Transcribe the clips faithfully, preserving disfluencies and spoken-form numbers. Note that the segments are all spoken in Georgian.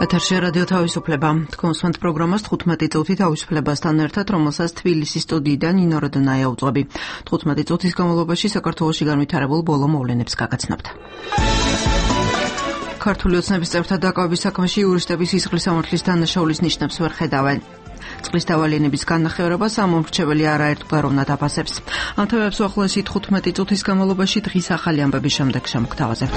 ეთერში რადიო თავისუფლება. თქვენს პროგრამას თხუთმეტი წუთი თავისუფლებასთან ერთად, რომელსაც თბილისის სტუდიიდან ნინო როდონაია უძღვები. თხუთმეტი წუთის განმავლობაში საქართველოში განვითარებულ ბოლო მოვლენებს გაგაცნობთ. ქართული ოცნების წევრთა დაკავების საქმეში იურისტები სისხლის სამართლის დანაშაულის ნიშნებს ვერ ხედავენ. წყლის დავალიანების განახევრებას ამომრჩეველი არაერთგვაროვნად აფასებს. ამ თემებს უახლოესი თხუთმეტი წუთის განმავლობაში დღის ახალი ამბების შემდეგ შემოგთავაზებთ.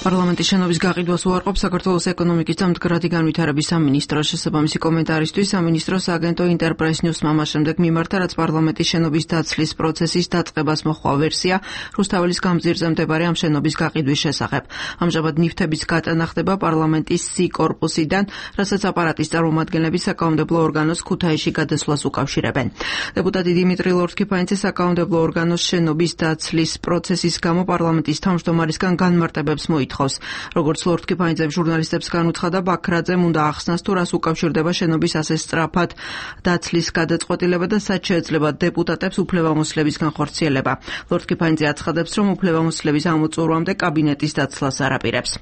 პარლამენტის შენობის გაყიდვას უარყოფს საქართველოს ეკონომიკის და მდგრადი განვითარების სამინისტრო. შესაბამისი კომენტარისთვის სამინისტროს აგენტო ინტერპრეს ნიუსმა მას შემდეგ მიმართა, რაც პარლამენტის შენობის დაცლის პროცესის დაწყებას მოჰყვა ვერსია რუსთაველის გამზირზე მდებარე ამ შენობის გაყიდვის შესახებ. ამჟამად ნივთების გატანა ხდება პარლამენტის C კორპუსიდან, რასაც აპარატის წარმომადგენლები საკანონმდებლო ორგანოს ქუთაისში გადასვლას უკავშირებენ. დეპუტატი დიმიტრი ლორთქიფანიძე საკანონმდებლო ორგანოს შენობის დაცლის პროცესის გამო პარლამენტის თავმჯდომარისგან განმარტებებს მოითხოვს. როგორც ლორთქიფანიძემ ჟურნალისტებს განუცხადა, ბაქრაძემ უნდა ახსნას, თუ რას უკავშირდება შენობის ასე სწრაფად დაცლის გადაწყვეტილება და სად შეეძლება დეპუტატებს უფლებამოსილების განხორციელება. ლორთქიფანიძე აცხადებს, რომ უფლებამოსილების ამოწურვამდე კაბინეტის დაცლას არ აპირებს.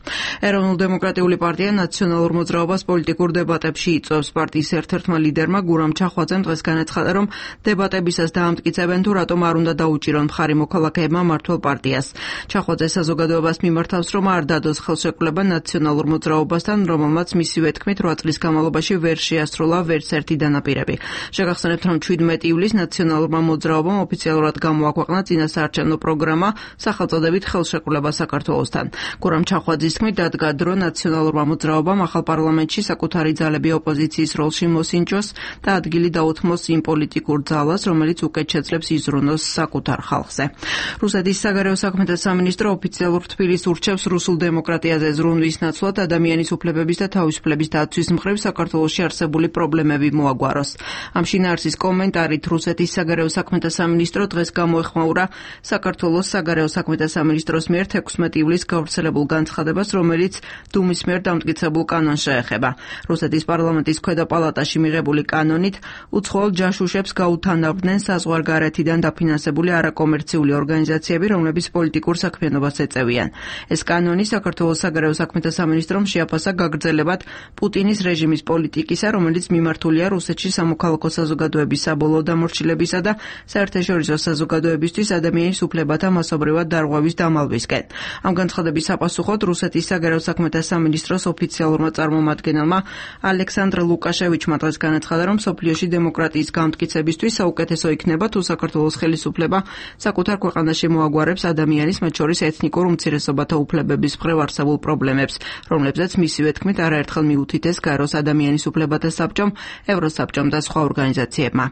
ეროვნულ-დემოკრატიული პარტია ნაციონალურ მოძრაობას პოლიტიკურ დებატებში იწვევს. პარტიის ერთ-ერთმა ლიდერმა გურამ ჩახვაძემ დღეს განაცხადა, რომ დებატებისას დაამტკიცებენ, თუ რატომ არ უნდა დაუჭირონ მხარი მოქალაქეებმა მმართველ პარტიას. ჩახვაძე საზოგადოებას მიმართავს, რომ არ დადოს ხელშეკრულება ნაციონალურ მოძრაობასთან, რომელმაც მისივე თქმით რვა წლის განმავლობაში ვერ შეასრულა ვერც ერთი დანაპირები. შეგახსენებთ, რომ შვიდმეტი ივლისს ნაციონალურმა მოძრაობამ ოფიციალურად გამოაქვეყნა წინასაარჩევნო პროგრამა სახელწოდებით ხელშეკრულება საქართველოსთან. გურამ ჩახვაძის თქმით, დადგა დრო ნაციონალურმა მოძრაობამ ახალ პარლამენტში საკუთარი ძალები ოპოზიციის როლში მოსინჯოს და ადგილი დაუთმოს იმ პოლიტიკურ ძალას, რომელიც უკეთ შეძლებს იზრუნოს საკუთარ ხალხზე. რუსეთის საგარეო საქმეთა სამინისტრო ოფიციალურ თბილისს ურჩევს რუსულ დემოკრატიაზე ზრუნვის ნაცვლად ადამიანის უფლებების და თავისუფლების დაცვის მხრივ საქართველოში არსებული პრობლემები მოაგვაროს. ამ შინაარსის კომენტარით რუსეთის საგარეო საქმეთა სამინისტრო დღეს გამოეხმაურა საქართველოს საგარეო საქმეთა სამინისტროს მიერ თექვსმეტი ივლისს გავრცელებულ განცხადებას, რომელიც დუმის მიერ დამტკიცებულ კანონს შეეხება. რუსეთის პარლამენტის ქვედა პალატაში მიღებული კანონით უცხოელ ჯაშუშებს გაუთანაბრდნენ საზღვარგარეთიდან დაფინანსებული არაკომერციული ორგანიზაციები, რომლებიც პოლიტიკურ საქმიანობას ეწევიან. ეს კანონი საქართველოს საგარეო საქმეთა სამინისტრომ შეაფასა გაგრძელებად პუტინის რეჟიმის პოლიტიკისა, რომელიც მიმართულია რუსეთში სამოქალაქო საზოგადოების საბოლოო დამორჩილებისა და საერთაშორისო საზოგადოებისთვის ადამიანის უფლებათა მასობრივად დარღვევის დამალვისკენ. ამ განცხადების საპასუხოდ რუსეთის საგარეო საქმეთა სამინისტროს ოფიციალურმა წარმომადგენელმა ალექსანდრ ლუკაშევიჩმა დღეს განაცხადა, რომ მსოფლიოში დემოკრატიის გამტკიცებისთვის საუკეთესო იქნება, თუ საქართველოს ხელისუფლება საკუთარ ქვეყანაში მოაგვარებს ადამიანის, მათ შორის ეთნიკურ უმცირესობათა უფლებების მხრივ არსებულ პრობლემებს, რომლებზეც მისივე თქმით არაერთხელ მიუთითეს გაროს ადამიანის უფლებათა საბჭომ, ევროსაბჭომ და სხვა ორგანიზაციებმა.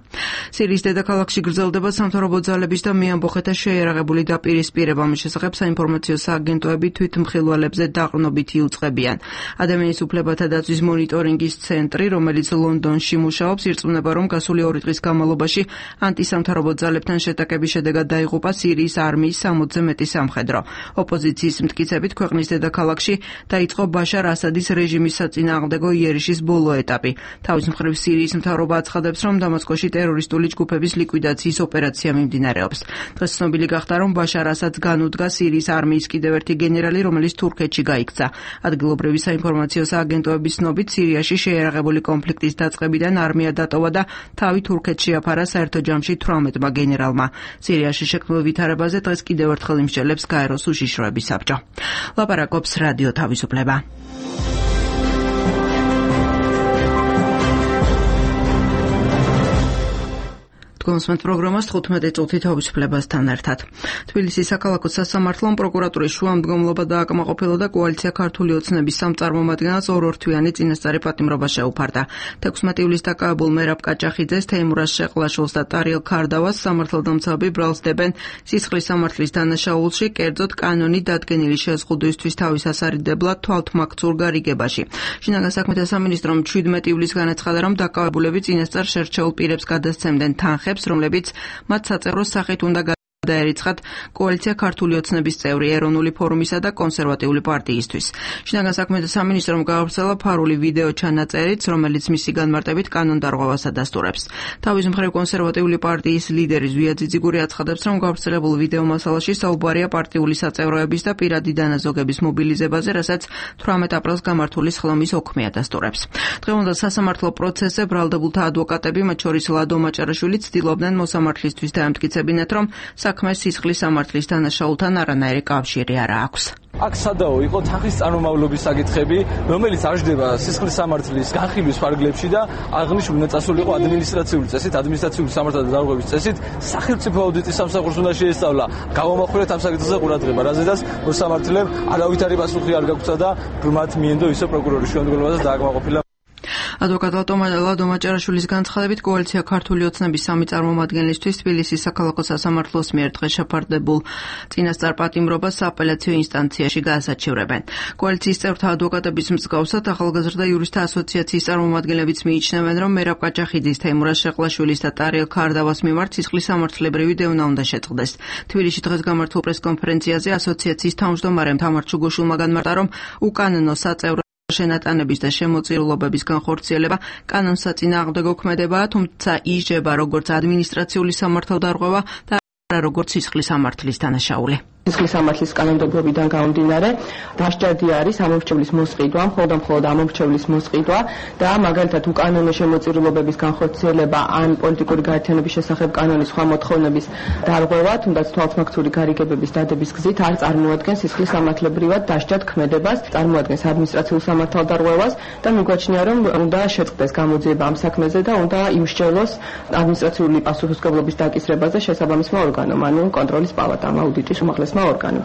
სირიის დედაქალაქში გრძელდება სამთავრობო ძალების და მეამბოხეთა შეიარაღებული დაპირისპირება. ამის შესახებ საინფორმაციო სააგენტოები თვითმხილველებზე დაყრდნობით იუწყებიან. ადამიანის უფლებათა დაცვის მონიტორინგის ცენტრი, რომელიც ლონდონში მუშაობს, ირწმუნება, რომ გასული ორი დღის განმავლობაში ანტისამთავრობო ძალებთან შეტაკების შედეგად დაიღუპა სირიის არმიის სამოცზე მეტი სამხედრო. ოპოზიციის მტკიცებით ქვეყნის დედაქალაქში დაიწყო ბაშარ ასადის რეჟიმის საწინააღმდეგო იერიშის ბოლო ეტაპი. თავის მხრივ სირიის მთავრობა აცხადებს, რომ დამასკოში ტერორისტული ჯგუფების ლიკვიდაციის ოპერაცია მიმდინარეობს. დღეს ცნობილი გახდა, რომ ბაშარ ასადს განუდგა სირიის არმიის კიდევ ერთი გენერალი, რომელიც თურქეთში გაიქცა. ადგილობრივი საინფორმაციო სააგენტოების ცნობით, სირიაში შეიარაღებული კონფლიქტის დაწყებიდან არმია დატოვა და თავი თურქეთში აფარა საერთო ჯამში თვრამეტმა გენერალმა. სირიაში შექმნილ ვითარებაზე დღეს კიდევ ერთხელ იმსჯელებს გაეროს უშიშროების საბჭო. ლაპარაკობს რადიო თავისუფლება. გონსმენთ პროგრამას თხუთმეტი წუთი თავისუფლებასთან ერთად. თბილისის საქალაქო სასამართლომ პროკურატურის შუამდგომლობა დააკმაყოფილა და კოალიცია ქართული ოცნების სამწარმომადგენელს ორ-ორთვიანი წინასწარი პატიმრობა შეუფარდა. თექვსმეტი ივლისს დაკავებულ მერაბ კაჭახიძეს, თეიმურაზ შეყლაშვილს და ტარიელ ქარდავას სამართალდამცავები ბრალს დებენ სისხლის სამართლის დანაშაულში, კერძოდ კანონით დადგენილი შეზღუდვისთვის თავის ასარიდებლად თვალთმაქცურ გარიგებაში. შინაგან საქმეთა სამინისტრომ შვიდმეტი ივლისს განაცხადა, რომ დაკავებულები წინასწარ შერჩეულ პირებს გადასცემდნენ თანხებს, რომლებიც მათ საწევროს სახით უნდა დაერიცხათ კოალიცია ქართული ოცნების წევრი ეროვნული ფორუმისა და კონსერვატიული პარტიისთვის. შინაგან საქმეთა სამინისტრომ გაავრცელა ფარული ვიდეო ჩანაწერიც, რომელიც მისი განმარტებით კანონდარღვევას ადასტურებს. თავის მხრივ კონსერვატიული პარტიის ლიდერი ზვია ძიძიგური აცხადებს, რომ გავრცელებულ ვიდეო მასალაში საუბარია პარტიული საწევროების და პირადი დანაზოგების მობილიზებაზე, რასაც თვრამეტ აპრილს გამართული სხდომის ოქმე ადასტურებს. დღევანდელ სასამართლო პროცესზე ბრალდებულთა ადვოკატები, მათ შორის ლადო მაჭარაშვილი, ცდილობდნენ მოსამართლისთვის დაემტკიცებინათ, რომ საქმეს სისხლის სამართლის დანაშაულთან არანაირი კავშირი არ აქვს. აქ სადაო იყო თანხის წარმომავლობის საკითხები, რომელიც აღждდება სისხლის სამართლის განხილვის ფარგლებში და აღნიშნული წასული იყო ადმინისტრაციული წესით, ადმინისტრაციული სამართალთა დარღვევის წესით, სახელმწიფო აუდიტის სამსახურს უნდა შეესწავლა. გავამახვილეთ ამ საკითხზე ყურადღება, რაზედაც მოსამართლემ არავითარი პასუხი არ გაგვცა და მათ მიენდო ისე პროკურორის შემდგომლობაზე დააკმაყოფილა. ადვოკატ ლადო მაჭარაშვილის განცხადებით, კოალიცია ქართული ოცნების სამი წარმომადგენლისთვის თბილისის საქალაქო სასამართლოს მიერ დღეს შეფარდებულ წინასწარ პატიმრობას სააპელაციო ინსტანციაში გაასაჩივრებენ. კოალიციის წევრთა ადვოკატების მსგავსად ახალგაზრდა იურისტთა ასოციაციის წარმომადგენლებიც მიიჩნევენ, რომ მერაბ ყაჩახიძის, თეიმურაზ შეყლაშვილის და ტარიელ ქარდავას მიმართ სისხლის სამართლებრივი დევნა უნდა შეწყდეს. თბილისში დღეს გამართულ პრესკონფერენციაზე ასოციაციის თავმჯდომარემ თამარ ჩუგოშვილმა განმარტა, რომ უკანონო საწევრო შენატანების და შემოწირულობების განხორციელება კანონს საწინააღმდეგო ქმედებაა, თუმცა ისჯება როგორც ადმინისტრაციული სამართალდარღვევა და არა როგორც სისხლის სამართლის დანაშაული. სისხლის სამართლის კანონმდებლობიდან გამომდინარე, დასჯადი არის ამორჩევლის მოსყიდვა, მხოლოდ და მხოლოდ ამორჩევლის მოსყიდვა და მაგალითად უკანონო შემოწირულობების განხორციელება ან პოლიტიკური გაერთიანების შესახებ კანონის სხვა მოთხოვნების დარღვევა, თუნდაც თვალთმაქციური გარიგებების დადების გზით არ წარმოადგენს სისხლის სამართლებრივად დასჯად ქმედებას, წარმოადგენს ადმინისტრაციულ სამართალდარღვევას და მიგვაჩნია, რომ უნდა შეწყდეს გამოძიება ამ საქმეზე და უნდა იმსჯელოს ადმინისტრაციული პასუხისმგებლობის დაკისრებაზე შესაბამისმა ორგანომ, ანუ კონტროლის პალატამ, აუდიტის უმაღლესმა ორგანომ.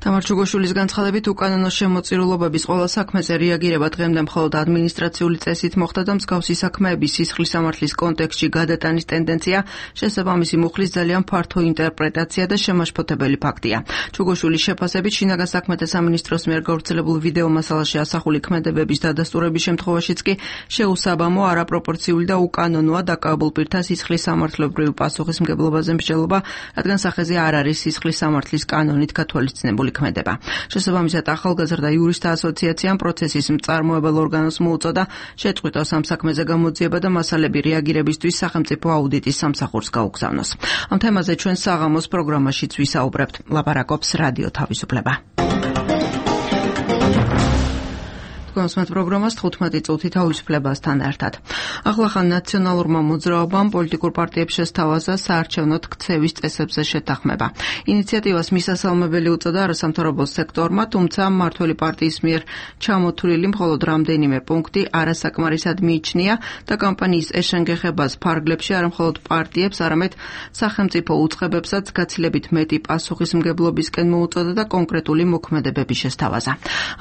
თამარ ჩუგოშვილის განცხადებით, უკანონო შემოწირულობების ყველა საქმეზე რეაგირება დღემდე მხოლოდ ადმინისტრაციული წესით მოხდა და მსგავსი საქმეების სისხლის სამართლის კონტექსტში გადატანის ტენდენცია შესაბამისი მუხლის ძალიან ფართო ინტერპრეტაცია და შემაშფოთებელი ფაქტია. ჩუგოშვილის შეფასებით, შინაგან საქმეთა სამინისტროს მიერ გავრცელებულ ვიდეო მასალაში ასახული ქმედებების დადასტურების შემთხვევაშიც კი შეუსაბამო, არაპროპორციული და უკანონოა დაკავებულ პირთა სისხლის სამართლებრივ პასუხისმგებლობაზე მსჯელობა, რადგან სახეზე არ არის სისხლის სამართლის კანონით გათვალისწინებული ქმედება. შესაბამისად, ახალგაზრდა იურისტთა ასოციაციამ პროცესის მწარმოებელ ორგანოს მოუწოდა შეწყვიტოს ამ საქმეზე გამოძიება და მასალები რეაგირებისთვის სახელმწიფო აუდიტის სამსახურს გაუგზავნოს. ამ თემაზე ჩვენ საღამოს პროგრამაშიც ვისაუბრებთ. ლაპარაკობს რადიო თავისუფლება. კონსმეთ პროგრამას თხუთმეტი წუთი თავისუფლებასთან ერთად. ახლახან ნაციონალურმა მოძრაობამ პოლიტიკურ პარტიებს შესთავაზა საარჩევნოდ ქცევის წესებზე შეთანხმება. ინიციატივას მისასალმებელი უწოდა არასამთავრობო სექტორმა, თუმცა მმართველი პარტიის მიერ ჩამოთვლილი მხოლოდ რამდენიმე პუნქტი არასაკმარისად მიიჩნია და კამპანიის ეშენგეხებას ფარგლებში არა მხოლოდ პარტიებს, არამედ სახელმწიფო უწყებებსაც გაცილებით მეტი პასუხისმგებლობისკენ მოუწოდა და კონკრეტული მოქმედებების შესთავაზა.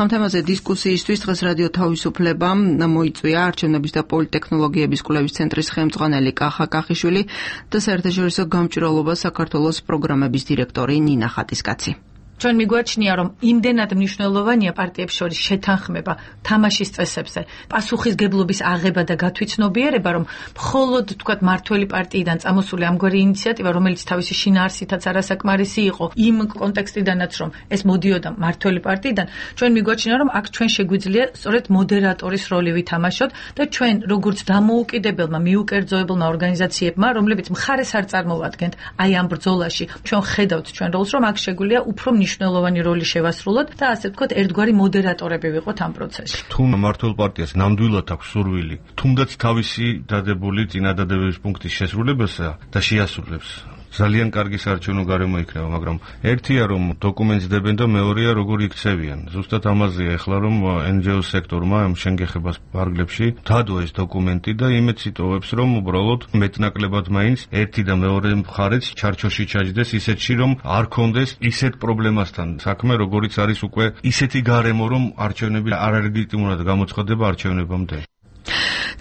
ამ თემაზე დისკუსიისთვის დღეს რადიო თავისუფლებამ მოიწვია არჩევნების და პოლიტექნოლოგიების კვლევის ცენტრის ხელმძღვანელი კახა კახიშვილი და საერთაშორისო გამჭვირვალობა საქართველოს პროგრამების დირექტორი ნინა ხატისკაცი. ჩვენ მიგვაჩნია, რომ იმდენად მნიშვნელოვანია პარტიებს შორის შეთანხმება თამაშის წესებზე, პასუხისგებლობის აღება და გათვითცნობიერება, რომ მხოლოდ თქვათ მმართველი პარტიიდან წამოსული ამგვარი ინიციატივა, რომელიც თავისი შინაარსითაც არასაკმარისი იყო, იმ კონტექსტიდანაც, რომ ეს მოდიოდა მმართველი პარტიიდან, ჩვენ მიგვაჩნია, რომ აქ ჩვენ შეგვიძლია სწორედ მოდერატორის როლი ვითამაშოთ და ჩვენ როგორც დამოუკიდებელმა მიუკერძოებელმა ორგანიზაციებმა, რომლებიც მხარეს არ წარმოვადგენთ აი ამ ბრძოლაში, ჩვენ ხედავთ ჩვენ როლს, რომ აქ შეგვიძლია უფრო მნიშვნელოვანი როლი შევასრულოთ და ასე ვთქვათ, ერთგვარი მოდერატორები ვიყოთ ამ პროცესში. თუ მმართველ პარტიას ნამდვილად აქვს სურვილი, თუნდაც თავისი დადებული წინადადებების პუნქტის შესრულებასა და შეასრულებს, ძალიან კარგი საარჩევნო გარემო იქნება, მაგრამ ერთია რომ დოკუმენტს დებენ და მეორეა როგორ იქცევიან. ზუსტად ამაზეა ეხლა რომ ენ ჯი ო სექტორმა ამ შენგეხებას ფარგლებში დადო ეს დოკუმენტი და იმედს იტოვებს რომ უბრალოდ მეტნაკლებად მაინც ერთი და მეორე მხარეც ჩარჩოში ჩაჯდეს ისეთში რომ არ კონდეს ისეთ პრობლემასთან საქმე როგორიც არის უკვე ისეთი გარემო რომ არჩევნები არალეგიტიმურად გამოცხადება არჩევნებამდე.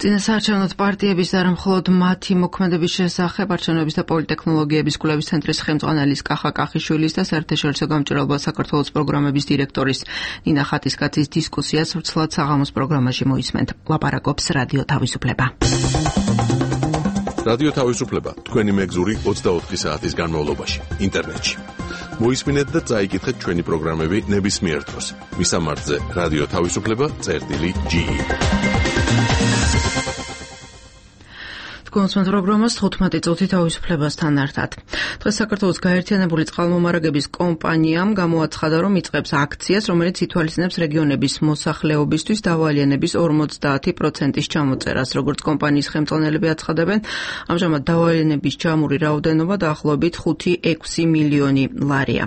წინასაარჩევნო პარტიების და არა მხოლოდ მათი მოქმედების შესახებ არჩევნების და პოლიტექნოლოგიების კვლევის ცენტრის ხელმძღვანელის კახა კახიშვილის და საერთაშორისო გამჭვირვალობა საქართველოს პროგრამების დირექტორის ნინა ხატისკაცის დისკუსიას ვრცლად საღამოს პროგრამაში მოისმენთ. ლაპარაკობს რადიო თავისუფლება. რადიო თავისუფლება თქვენი მეგზური ოცდაოთხი საათის განმავლობაში ინტერნეტში. მოისმინეთ და წაიკითხეთ ჩვენი პროგრამები ნებისმიერ დროს. მისამართზე რადიო თავისუფლება წერტილი ჯი. კონსულტანტ პროგრამას თხუთმეტი წუთი თავისუფლებასთან ერთად. დღეს საქართველოს გაერთიანებული წყალმომარაგების კომპანიამ გამოაცხადა, რომ იწყებს აქციას, რომელიც ითვალისწინებს რეგიონების მოსახლეობისთვის დავალიანების ორმოცდაათი პროცენტის ჩამოწერას. როგორც კომპანიის ხელმძღვანელები აცხადებენ, ამჟამად დავალიანების ჯამური რაოდენობა დაახლოებით ხუთი ექვსი მილიონი ლარია.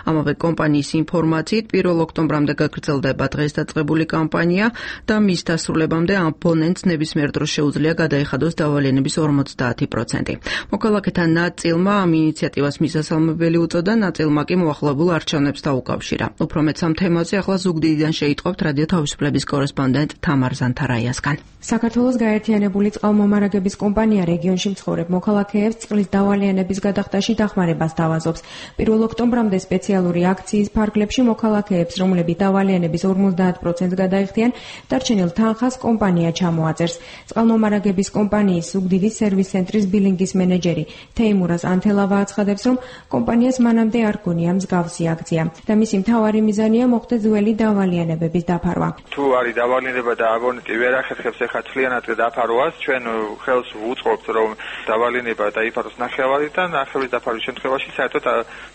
ამავე კომპანიის ინფორმაციით, პირველ ოქტომბრამდე გაგრძელდება დღეს დაწყებული კამპანია და მის დასრულებამდე აბონენტს ნებისმიერ დროს შეუძლია გადაეხადოს დავალიანების ორმოცდაათი პროცენტი. მოქალაქეთა ნაწილმა ამ ინიციატივას მისასალმებელი უწოდა, ნაწილმა კი მოახლოებულ არჩევნებს დაუკავშირა. უფრო მეც ამ თემაზე ახლა ზუგდიდიდან შეიტყობთ რადიო თავისუფლების კორესპონდენტ თამარ ზანთარაიასგან. საქართველოს გაერთიანებული წყალმომარაგების კომპანია რეგიონში მცხოვრებ მოქალაქეებს წყლის დავალიანების გადახდაში დახმარებას თავაზობს. პირველ ოქტომბრამდე სპეციალური აქციის ფარგლებში მოქალაქეებს, რომლებიც დავალიანების ორმოცდაათ პროცენტს გადაიხდიან, დარჩენილ თანხას კომპანია ჩამოაწერს. წყალმომარაგების კომპანიის ზუგდიდის სერვის ცენტრის ბილინგის მენეჯერი თეიმურას ანთელავა აცხადებს, რომ კომპანიას მანამდე არ გონია მსგავსი აქცია და მისი მთავარი მიზანია მოხდეს ძველი დავალიანებების დაფარვა. თუ არის დავალიანება და აბონენტი ვერ ახერხებს ეხლა თლიანად დაფარვას, ჩვენ ხელს ვუწყობთ, რომ დავალიანება დაიფაროს ნახევარით და ნახევრის დაფარვის შემთხვევაში საერთოდ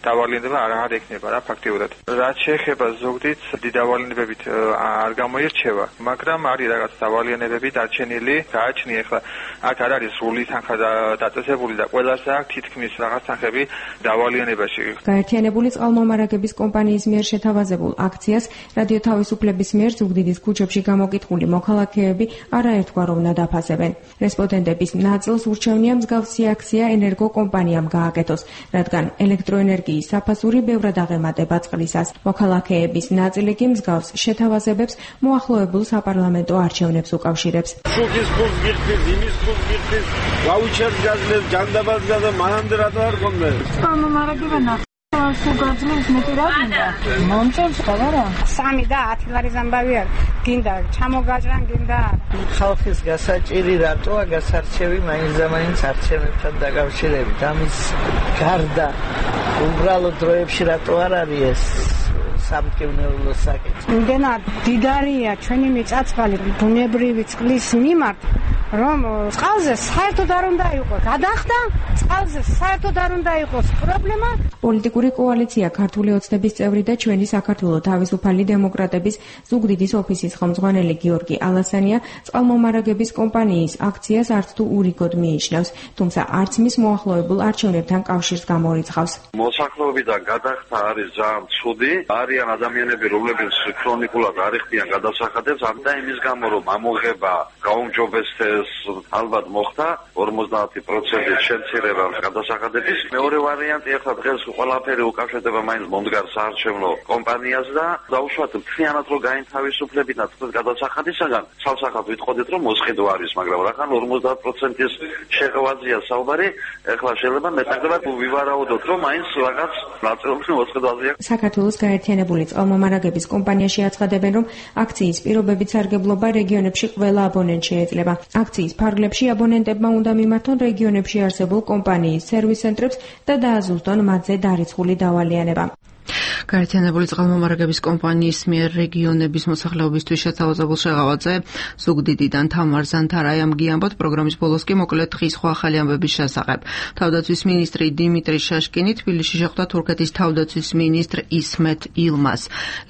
დავალიანება არ ექნება რა ფაქტიურად. რაც შეეხება ზუგდიდს, დავალიანებებით არ გამოირჩევა, მაგრამ არის რაღაც დავალიანებები დარჩენილი, გააჩნია ეხლა აქ არ არის სრული თანხა დაწესებული და ყველას აქვს თითქმის რაღაც თანხები დავალიანებაში. გაერთიანებული წყალმომარაგების კომპანიის მიერ შეთავაზებულ აქციას რადიო თავისუფლების მიერ ზუგდიდის ქუჩებში გამოკითხული მოქალაქეები არაერთგვაროვნად დაფასებენ. რესპონდენტების ნაწილს ურჩევნია მსგავსი აქცია ენერგო კომპანიამ გააკეთოს, რადგან ელექტროენერგიის საფასური ბევრად აღემატება წყლისას. მოქალაქეების ნაწილი კი მსგავს შეთავაზებებს მოახლოებულ საპარლამენტო არჩევნებს უკავშირებს. შუქის ფულს გიხდით, იმის ფულს გიხდით, ვაუჩერს გაძლევთ, ჯანდაბას და მანამდე რატო არ გონდეთ? წყალმომარაგება ნახევარს უგაძლევს, მეტი რა გინდა? მომწონს ხალარა? სამი და ათი ლარის ამბავი არ გინდა, ჩამოგაჭრან გინდა. ხალხის გასაჭირი რატოა გასარჩევი მაინც და მაინც არჩევნებთან დაკავშირებით? ამის გარდა უბრალოდ დროებში რატო არ არის ეს სამკევნეულო საკითხი? იმდენად დიდარია ჩვენი მიწა-წყალი ბუნებრივი წყლის მიმართ, რომ წყალზე საერთოდ არ უნდა იყოს გადახდა, წყალზე საერთოდ არ უნდა იყოს პრობლემა. პოლიტიკური კოალიცია ქართული ოცნების წევრი და ჩვენი საქართველო თავისუფალი დემოკრატების ზუგდიდის ოფისის ხელმძღვანელი გიორგი ალასანია წყალმომარაგების კომპანიის აქციას არც თუ ურიგოდ მიიჩნევს, თუმცა არც მის მოახლოებულ არჩევნებთან კავშირს გამორიცხავს. მოსახლეობიდან გადახდა არის ძალიან ცუდი, არიან ადამიანები, რომლებიც ქრონიკულად არ იხდიან გადასახადებს, და იმის გამო რომ ამოღება გაუმჯობესდეს ალბათ მოხდა ორმოცდაათი პროცენტის შემცირება გადასახადების. მეორე ვარიანტი ახლა დღეს ყველაფერი უკავშირდება მაინც მომდგარ საარჩევნო კომპანიას და დაუშვათ მთლიანად რომ გაინთავისუფლებინათ თქვენ გადასახადისაგან, ცალსახად ვიტყოდით რომ მოსყიდვა არის, მაგრამ რახან ორმოცდაათ პროცენტის შეღვაზია საუბარი, ახლა შეიძლება მეტნაკლებად ვივარაუდოთ რომ მაინც რაღაც ნაწილობრივ მოსყიდვაზეა. საქართველოს გაერთიანებული წყალმომარაგების კომპანიაში აცხადებენ, რომ აქციის პირობებით სარგებლობა რეგიონებში ყველა აბონენტს შეეძლება. აქციის ფარგლებში აბონენტებმა უნდა მიმართონ რეგიონებში არსებულ კომპანიის სერვის ცენტრებს და დააზუსტონ მათზე დარიცხული დავალიანება. გაერთიანებული წყალმომარაგების კომპანიის მიერ რეგიონების მოსახლეობისთვის შეთავაზებულ შეღავაზე ზუგდიდიდან თამარ ზანთარაიამ გიამბოთ. პროგრამის ბოლოს კი მოკლედ დღის სხვა ახალი ამბების შესახებ. თავდაცვის მინისტრი დიმიტრი შაშკინი თბილისში შეხვდა თურქეთის თავდაცვის მინისტრ ისმეთ ილმას.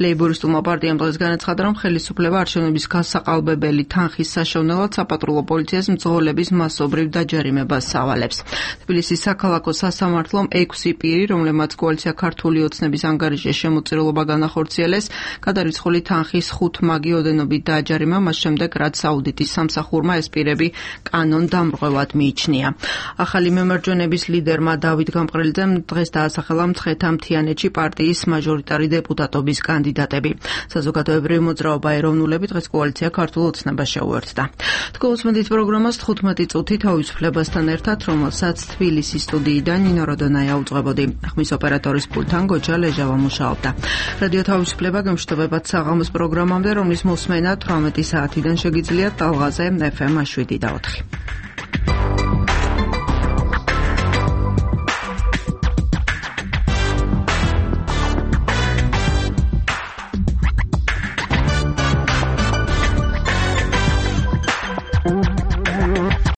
ლეიბორისტულმა პარტიამ დღეს განაცხადა, რომ ხელისუფლება არჩევნების გასაყალბებელი თანხის საშოვნელად საპატრულო პოლიციას მძღოლების მასობრივ დაჯარიმებას სავალებს. თბილისის საქალაქო სასამართლომ ექვსი პირი, რომლებმაც კოალიცია ქართული ოცნების ანგარიშის შემოწირულობა განახორციელეს, გადარიცხული თანხის ხუთ მაგი ოდენობით დააჯარიმა, მას შემდეგ რაც აუდიტის სამსახურმა ეს პირები კანონ დამრღვევად მიიჩნია. ახალი მემარჯვენების ლიდერმა დავით გამყრელიძემ დღეს დაასახელა მცხეთა მთიანეთში პარტიის მაჟორიტარი დეპუტატობის კანდიდატები. საზოგადოებრივი მოძრაობა ეროვნულები დღეს კოალიცია ქართულ ოცნებას შეუერთდა. თქოსმედით პროგრამას თხუთმეტი წუთი თავისუფლებასთან ერთად, რომელსაც თბილისის სტუდიიდან ნინო როდონაია უძღვებოდი. ხმის ოპერატორის პულტთან გოჯა ლეჟავა მუშაობდა. რადიო თავისუფლება გემშვიდობებად საღამოს პროგრამამდე, რომლის მოსმენა თვრამეტი საათიდან შეგიძლიათ ტალღაზე ეფ ემ შვიდი და ოთხი.